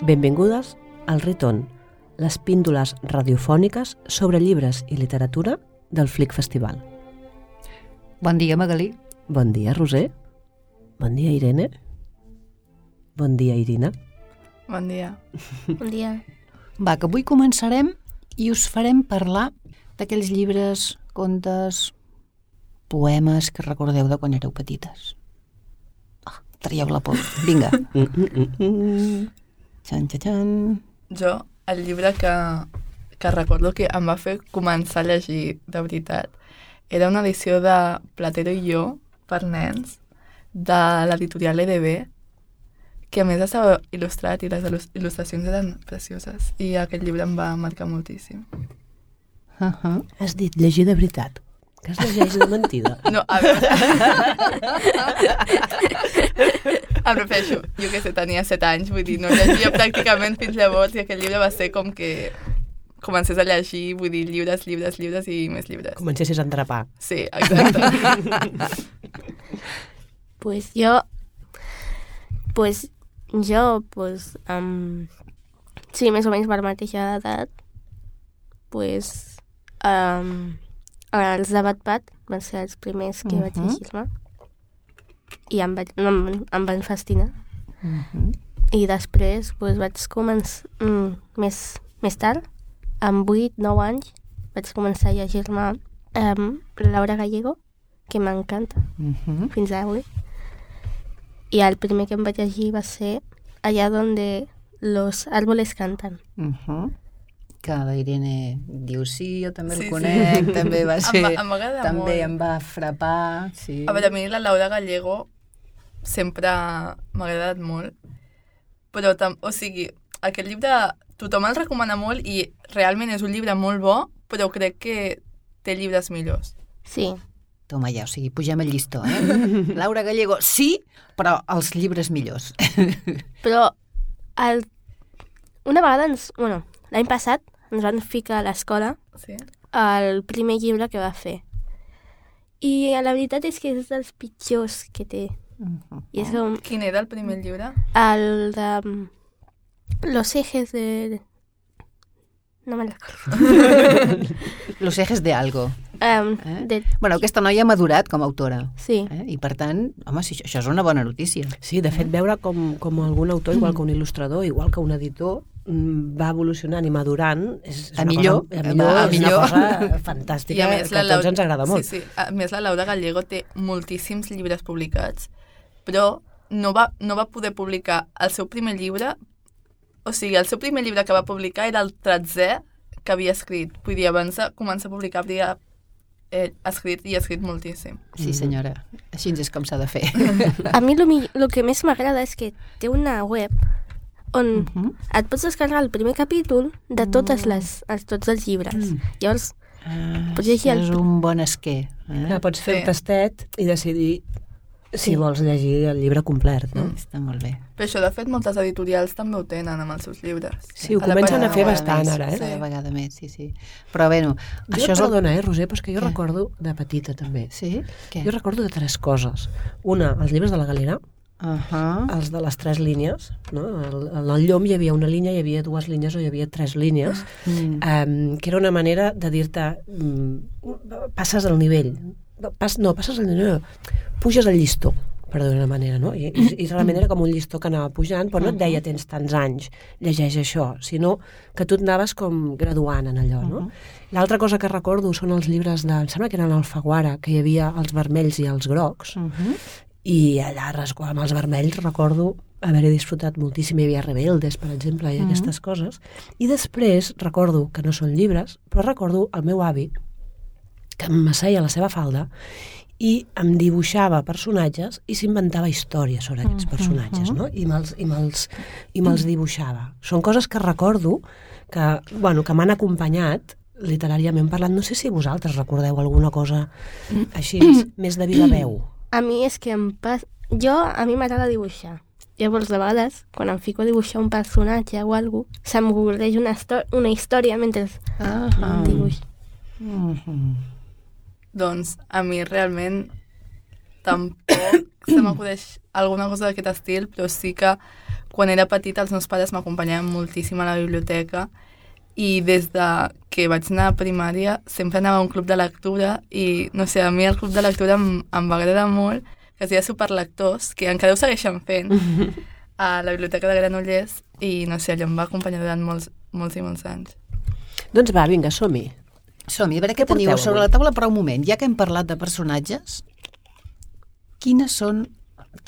Benvingudes al Riton, les píndoles radiofòniques sobre llibres i literatura del Flic Festival. Bon dia, Magalí. Bon dia, Roser. Bon dia, Irene. Bon dia, Irina. Bon dia. Bon dia. Va, que avui començarem i us farem parlar d'aquells llibres, contes, poemes que recordeu de quan éreu petites. Traieu la por. Vinga. Xan, xan, xan. Jo, el llibre que recordo que em va fer començar a llegir de veritat era una edició de Platero i jo, per nens, de l'editorial EDB, que a més estava il·lustrat i les il·lustracions eren precioses i aquest llibre em va marcar moltíssim. Has dit llegir de veritat, que es llegeix de mentida. No, a veure... Em refereixo, jo que sé, tenia 7 anys, vull dir, no llegia pràcticament fins llavors i aquest llibre va ser com que comencés a llegir, vull dir, llibres i més llibres. Comencessis a endrapar. Sí, exacte. Pues jo, sí, més o menys per la mateixa edat, els de Wattpad van ser els primers que vaig llegir-me i em van fascinar. I després vaig començar més tard, amb 8-9 anys, vaig començar a llegir-me Laura Gallego, que m'encanta, fins avui. I el primer que em vaig llegir va ser Allá donde los árboles cantan. Que la Irene diu sí, jo també el conec, també va ser... Em va agradar també molt. em va frapar, sí. A veure, a mi la Laura Gallego sempre m'ha agradat molt, però, o sigui, aquest llibre tothom el recomana molt i realment és un llibre molt bo, però crec que té llibres millors. Sí. Toma ja, o sigui, pugem el llistó, Laura Gallego, sí, però els llibres millors. Però una vegada l'any passat ens van ficar a l'escola el primer llibre que va fer. I la veritat és que és dels pitjors que té. I és com... Quin era el primer llibre? El de Los ejes de... No me'n recordo. Los ejes de algo. De... Bueno, aquesta noia ha madurat com a autora. Sí. I per tant, home, si això és una bona notícia. Sí, de fet, veure com algun autor, igual que un il·lustrador, igual que un editor, va evolucionant i madurant, és millor. Una cosa fantàstica que a tots ens agrada molt. Sí. A més, la Laura Gallego té moltíssims llibres publicats, però no va poder publicar el seu primer llibre. O sigui, el seu primer llibre que va publicar era el 13è que havia escrit. Vull dir, abans de començar a publicar havia escrit moltíssim. Sí, senyora. Així és com s'ha de fer. A mi el que més m'agrada és que té una web on et pots descarregar el primer capítol de tots els llibres. Llavors, pots llegir és un bon esquer. Pots fer el tastet i decidir si vols llegir el llibre complet, no? Està molt bé. Però això, de fet, moltes editorials també ho tenen amb els seus llibres. Sí, ho comencen a fer bastant ara, Cada vegada més, sí. Però, bueno... Perdona, Roser, però és que jo recordo de petita, també. Sí? Què? Jo recordo de 3 coses. Una, els llibres de la Galera, els de les 3 línies, no? En el Llom hi havia una línia, hi havia 2 línies o hi havia 3 línies, que era una manera de dir-te passes al nivell. Passes al nivell, puges el llistó, per dir-ho d'una manera, no? I realment era com un llistó que anava pujant, però no et deia tens tants anys, llegeix això, sinó que tu et anaves com graduant en allò, no? L'altra cosa que recordo són els llibres em sembla que eren Alfaguara, que hi havia els vermells i els grocs, i allà amb els vermells recordo haver-hi disfrutat moltíssim. Hi havia Rebeldes, per exemple, i aquestes coses. I després recordo, que no són llibres, però recordo el meu avi, que m'asseia a la seva falda i em dibuixava personatges i s'inventava històries sobre aquests personatges, no? I me'ls dibuixava. Són coses que recordo que m'han acompanyat literàriament parlant. No sé si vosaltres recordeu alguna cosa així, més de viva veu. A mi és que a mi m'agrada dibuixar. Llavors, de vegades, quan em fico a dibuixar un personatge o alguna cosa, se'm ocurreix una història mentre dibuix. Doncs a mi realment se m'acudeix alguna cosa d'aquest estil, però sí que quan era petita els meus pares m'acompanyaven moltíssim a la biblioteca i des de que vaig anar a primària sempre anava a un club de lectura i, no sé, a mi el club de lectura em va agradar molt, que es deia Superlectors, que encara ho segueixen fent a la Biblioteca de Granollers i, no sé, allò em va acompanyar durant molts i molts anys. Doncs va, vinga, som-hi. Som-hi, a veure què teniu sobre la taula, però un moment, ja que hem parlat de personatges, quins són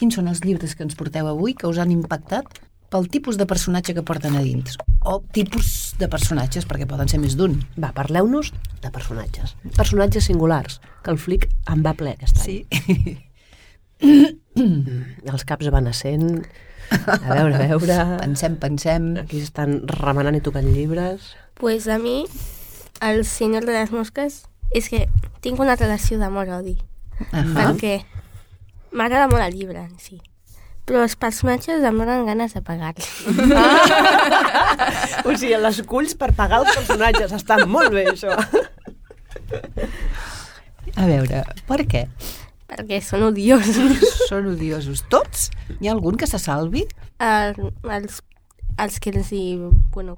els llibres que ens porteu avui que us han impactat pel tipus de personatge que porten a dins? O tipus de personatges, perquè poden ser més d'un. Va, parleu-nos de personatges. Personatges singulars, que el flic en va ple aquest any. Sí. Els caps van essent... A veure... Pensem... Aquí estan remenant i tocant llibres. Pues a mi, el senyor de les mosques, és que tinc una relació d'amor-odi. Perquè m'agrada molt el llibre en si. Però els personatges em donen ganes de pagar-los. O sigui, les culls per pagar els personatges. Està molt bé, això. A veure, per què? Perquè són odiosos. Són odiosos. Tots? Hi ha algun que se salvi? Els que els hi... Bueno,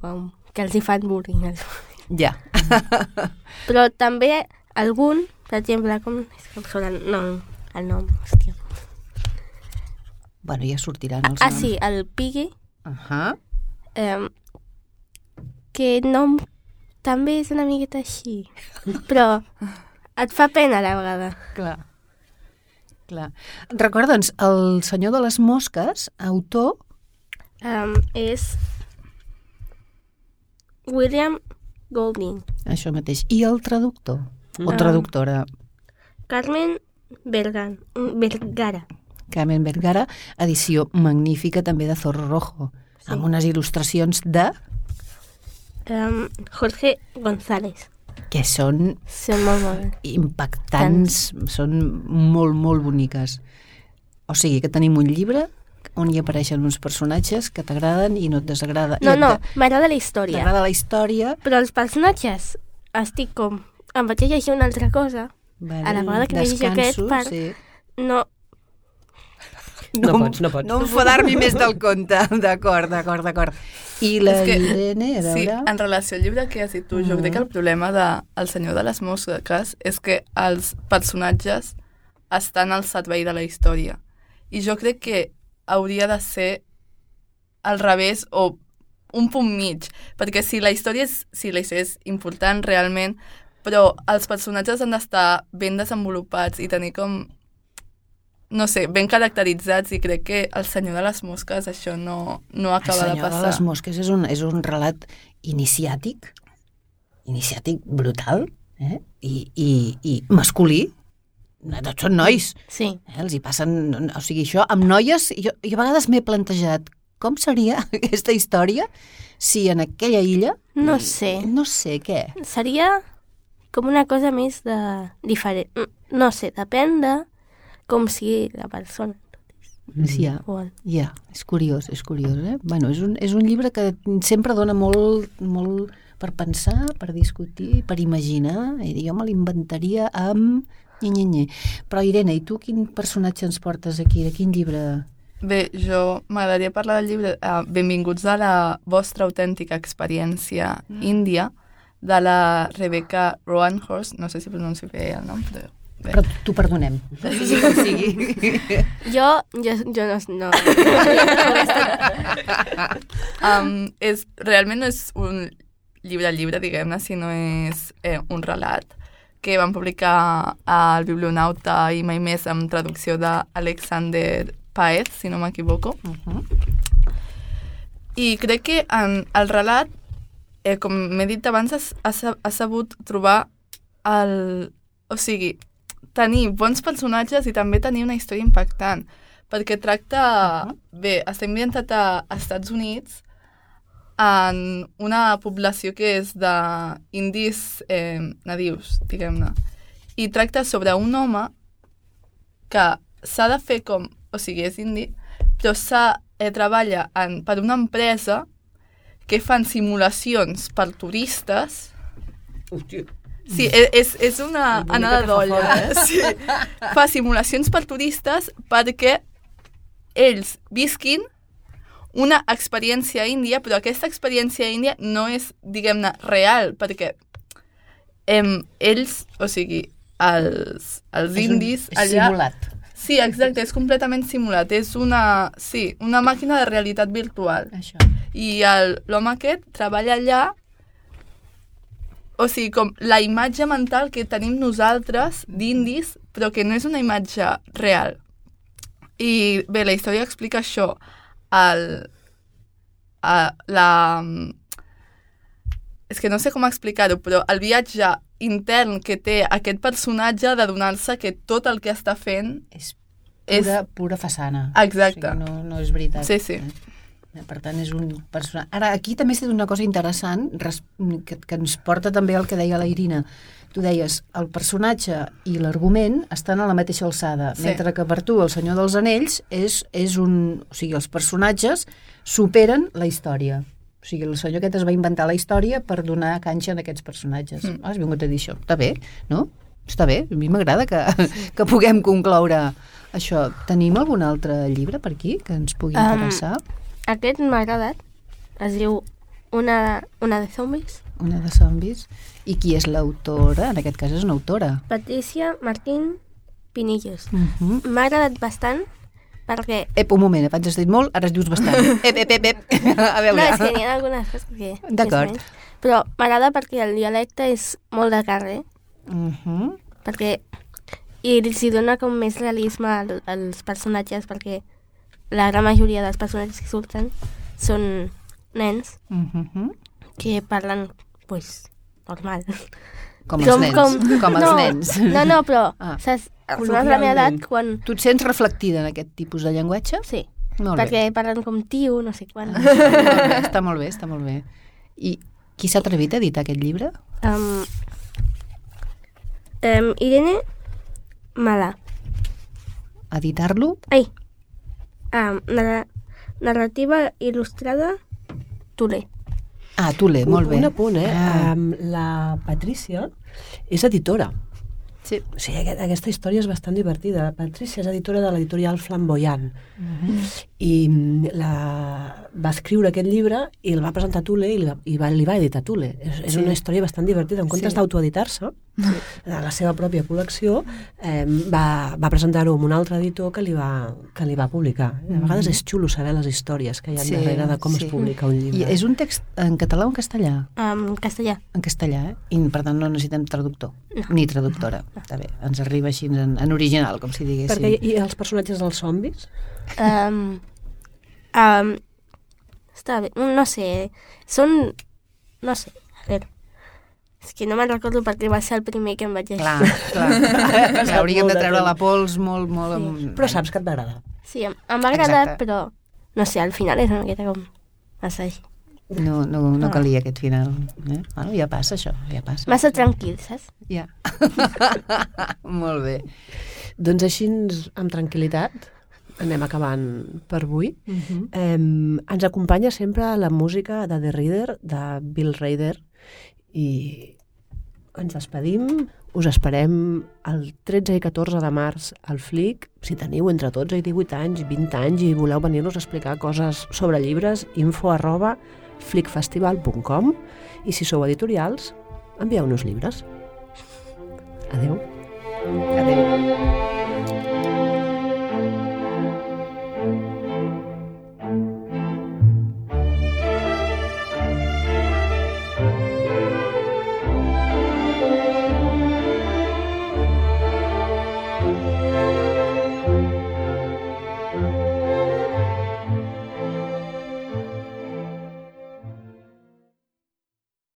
que els hi fan bullying. Ja. Però també algun, per exemple, com... el nom, hòstia. Bueno, ja sortiran els noms. Sí, el Piggy. Que nom també és una miqueta així. Però et fa pena a la vegada. Clar. Recorda'ns, el senyor de les mosques, autor... És William Golding. Això mateix. I el traductor? O traductora? Carmen Vergara. Carmen Vergara, edició magnífica també de Zorro Rojo, amb unes il·lustracions de... Jorge González. Que són molt impactants, són molt, molt boniques. O sigui, que tenim un llibre on hi apareixen uns personatges que t'agraden i no et desagrada. No, m'agrada la història. T'agrada la història. Però els personatges estic com... Em vaig a llegir una altra cosa. A la vegada que llegeixo aquest part... Sí. No pots. No enfadar-m'hi més del compte. D'acord. I la Irene, a veure... Sí, en relació al llibre que has dit tu, jo crec que el problema del senyor de les mosques és que els personatges estan al servei de la història. I jo crec que hauria de ser al revés o un punt mig, perquè si la història és important realment, però els personatges han d'estar ben desenvolupats i tenir com... no sé, ben caracteritzats, i crec que el senyor de les mosques això no acaba de passar. El senyor de les mosques és un relat iniciàtic brutal, i masculí. Tots són nois. Sí. Els hi passen... O sigui, això amb noies... Jo a vegades m'he plantejat com seria aquesta història si en aquella illa... No sé. No sé, què? Seria com una cosa més de... diferent. No sé, depèn de com sigui la persona. Ja, és curiós, Bueno, és un llibre que sempre dona molt per pensar, per discutir, per imaginar, i jo me l'inventaria amb... Però Irene, i tu quin personatge ens portes aquí? De quin llibre? Bé, jo m'agradaria parlar del llibre Benvinguts a la vostra autèntica experiència índia, de la Rebecca Roanhorse, no sé si pronuncio bé el nom, però... Però t'ho perdonem. Sí. Jo no. Realment no és un llibre, diguem-ne, sinó és un relat que van publicar al Biblionauta i mai més amb traducció d'Alexander Paez, si no m'equivoco. I crec que en el relat, com m'he dit abans, ha sabut trobar o sigui, tenir bons personatges i també tenir una història impactant, perquè tracta... Bé, està ambientat als Estats Units en una població que és d'indis nadius, diguem-ne. I tracta sobre un home que s'ha de fer com... O sigui, és indi, però treballa per una empresa que fan simulacions per turistes Sí, és una anada d'olla. Sí. Fa simulacions per turistes perquè ells visquin una experiència índia, però aquesta experiència índia no és, diguem-ne, real, perquè ells, o sigui, els indis allà... És simulat. Sí, exacte, és completament simulat. És una màquina de realitat virtual. Això. I l'home aquest treballa allà, o sigui, com la imatge mental que tenim nosaltres d'indis, però que no és una imatge real. I bé, la història explica això. És que no sé com explicar-ho, però el viatge intern que té aquest personatge de donar-se que tot el que està fent és pura façana. Exacte. O sigui, no és veritat. Sí, sí. Per tant, és un personatge... Ara, aquí també s'ha dit una cosa interessant que ens porta també al que deia la Irina. Tu deies, el personatge i l'argument estan a la mateixa alçada, mentre que per tu el Senyor dels Anells és un... O sigui, els personatges superen la història. O sigui, el senyor aquest es va inventar la història per donar canxa a aquests personatges. Has vingut a dir això. Està bé, no? Està bé. A mi m'agrada que puguem concloure això. Tenim algun altre llibre per aquí que ens pugui interessar? Aquest m'ha agradat. Es diu una de zombis. Una de zombis. I qui és l'autora? En aquest cas és una autora. Patricia Martín Pinillos. M'ha agradat bastant perquè... Un moment, abans has dit molt, ara es dius bastant. A veure. No, és que n'hi ha algunes coses que... D'acord. Però m'agrada perquè el dialecte és molt de carrer. Perquè... I els hi dona com més realisme als personatges, perquè la gran majoria dels personatges que surten són nens que parlen, pues, normal. Com els nens. Com els nens. No, però... Saps? Persones de la meva edat, quan... Tu et sents reflectida en aquest tipus de llenguatge? Sí, perquè parlen com tio, no sé quan. Està molt bé. I qui s'ha atrevit a editar aquest llibre? Irene Malà. Editar-lo? Ai, narrativa il·lustrada Tule. Tule, molt bé. Un apunt, la Patricia és editora. Sí. O sigui, aquesta història és bastant divertida. La Patricia és editora de l'editorial Flamboyant i va escriure aquest llibre i el va presentar a Tule i li va editar Tule. És una història bastant divertida. En comptes d'autoeditar-se, de la seva pròpia col·lecció, va presentar-ho amb un altre editor que li va publicar. A vegades és xulo saber les històries que hi ha darrere de com es publica un llibre. I és un text en català o en castellà? En castellà. En castellà, I per tant no necessitem traductor, ni traductora. Està bé, ens arriba així en original, com si diguéssim. Perquè, i els personatges dels zombis? Està bé, no sé, no sé, a veure, és que no me'n recordo perquè va ser el primer que em vaig llegir. Clar. Hauríem de treure la pols molt... Sí. Però saps que et va agradar. Sí, em va agradar, però, no sé, al final és una miqueta com massa així. No calia aquest final. Bueno, ja passa això, ja passa. Massa tranquil, saps? Ja. Molt bé. Doncs així, amb tranquil·litat, anem acabant per avui. Ens acompanya sempre la música de The Reader, de Bill Rader, i ens despedim. Us esperem el 13 i 14 de març al FLIC. Si teniu entre 12 i 18 anys, 20 anys i voleu venir-nos a explicar coses sobre llibres, info@flicfestival.com, i si sou editorials, envieu-nos llibres. Adeu. Adeu.